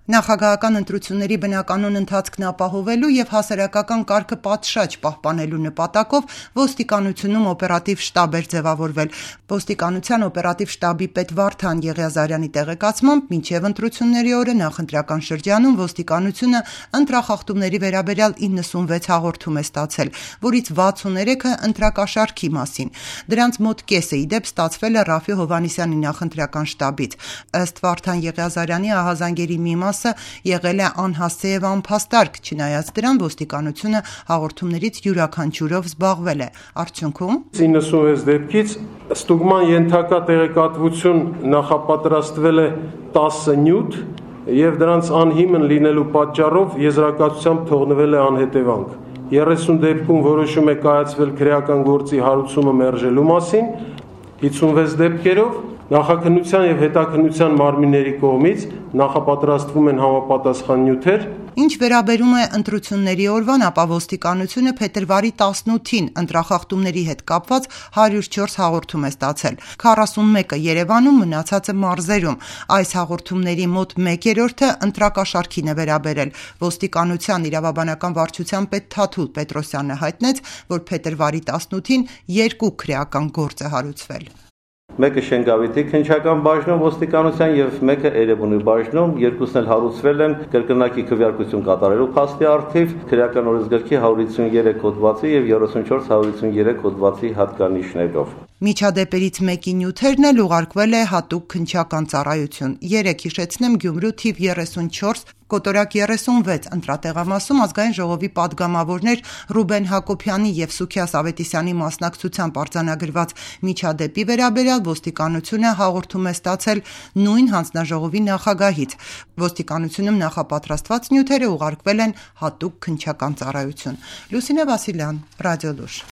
Նախագահական ընտրությունների բնականոն ընթացքն ապահովելու եւ հասարակական կարգը պատշաճ պահպանելու նպատակով ոստիկանությունում օպերատիվ շտաբ էր ձևավորվել։ Ոստիկանության օպերատիվ շտաբի պետ Վարդան Եղիազարյանի տեղեկացմամբ մինչեւ ընտրությունների օրը նախընտրական շրջանում ոստիկանությունը ընտրախախտումների վերաբերյալ 96 հաղորդում է ստացել, որից 63-ը ընտրակաշառքի մասին։ Դրանց մոտ կեսը ի դեպ ստացվել է Ռաֆի Հովհաննիսյանի նախընտրական շտաբից։ Ըստ Վարդան Եղիազարյանի ահազանգերի մի մասը եղել է անհասցե եւ անփաստարկ, չնայած դրան ոստիկանությունը հաղորդումներից յուրաքանչյուրով զբաղվել է։ Արդյունքում 96 դեպքից ստուգման ենթակա տեղեկատվություն նախապատրաստվել է 10 նյութ եւ դրանց անհիմն լինելու պատճառով եզրակացությամբ թողնվել է անհետևանք։ 30 դեպքում որոշում է կայացվել քրեական գործի հարուցումը մերժելու մասին, 56 դեպքերով նախաքննության եւ հետաքննության մարմինների կողմից նախապատրաստվում են համապատասխան նյութեր։ Ինչ վերաբերում է ընտրությունների օրվան, ապա ոստիկանությունը փետրվարի 18-ին ընտրախախտումների հետ կապված 104 հաղորդում է ստացել։ 41-ը Երևանում, մնացածը մարզերում։ Այս հաղորդումների մոտ 1/3-ը ընտրակաշառքին է վերաբերել։ Ոստիկանության իրավաբանական վարչության պետ Թաթուլ Պետրոսյանը հայտնեց, որ փետրվարի 18-ին 2 քրեական գործ է հարուցվել։ Մեկը Շենգավիթի քննչական բաժնում ոստիկանության եւ մեկը Էրեբունի բաժնում, երկուսն էլ հարուցվել են կրկնակի քվեարկություն կատարելու փաստի առթիվ, քրեական օրենսգրքի 153 հոդվածի եւ 34-153 հոդվածի հատկանիշներով։ Միջադեպերից մեկի նյութերն էլ ուղարկվել է հատուկ քննչական ծառայություն։ 3 հիշեցնեմ Գյումրու թիվ 34 կոտորակ 36 ընտրատեղամասում ազգային ժողովի падգամավորներ Ռուբեն Հակոբյանի եւ Սուքիաս Ավետիսյանի մասնակցությամբ արձանագրված միջադեպի վերաբերյալ ոստիկանությունը հաղորդում է ստացել նույն հանձնաժողովի նախագահից։ Ոստիկանությունում նախապատրաստված նյութերը ուղարկվել են հատուկ քննչական ծառայություն։ Լուսինե Վասիլյան, Ռադիոլուր։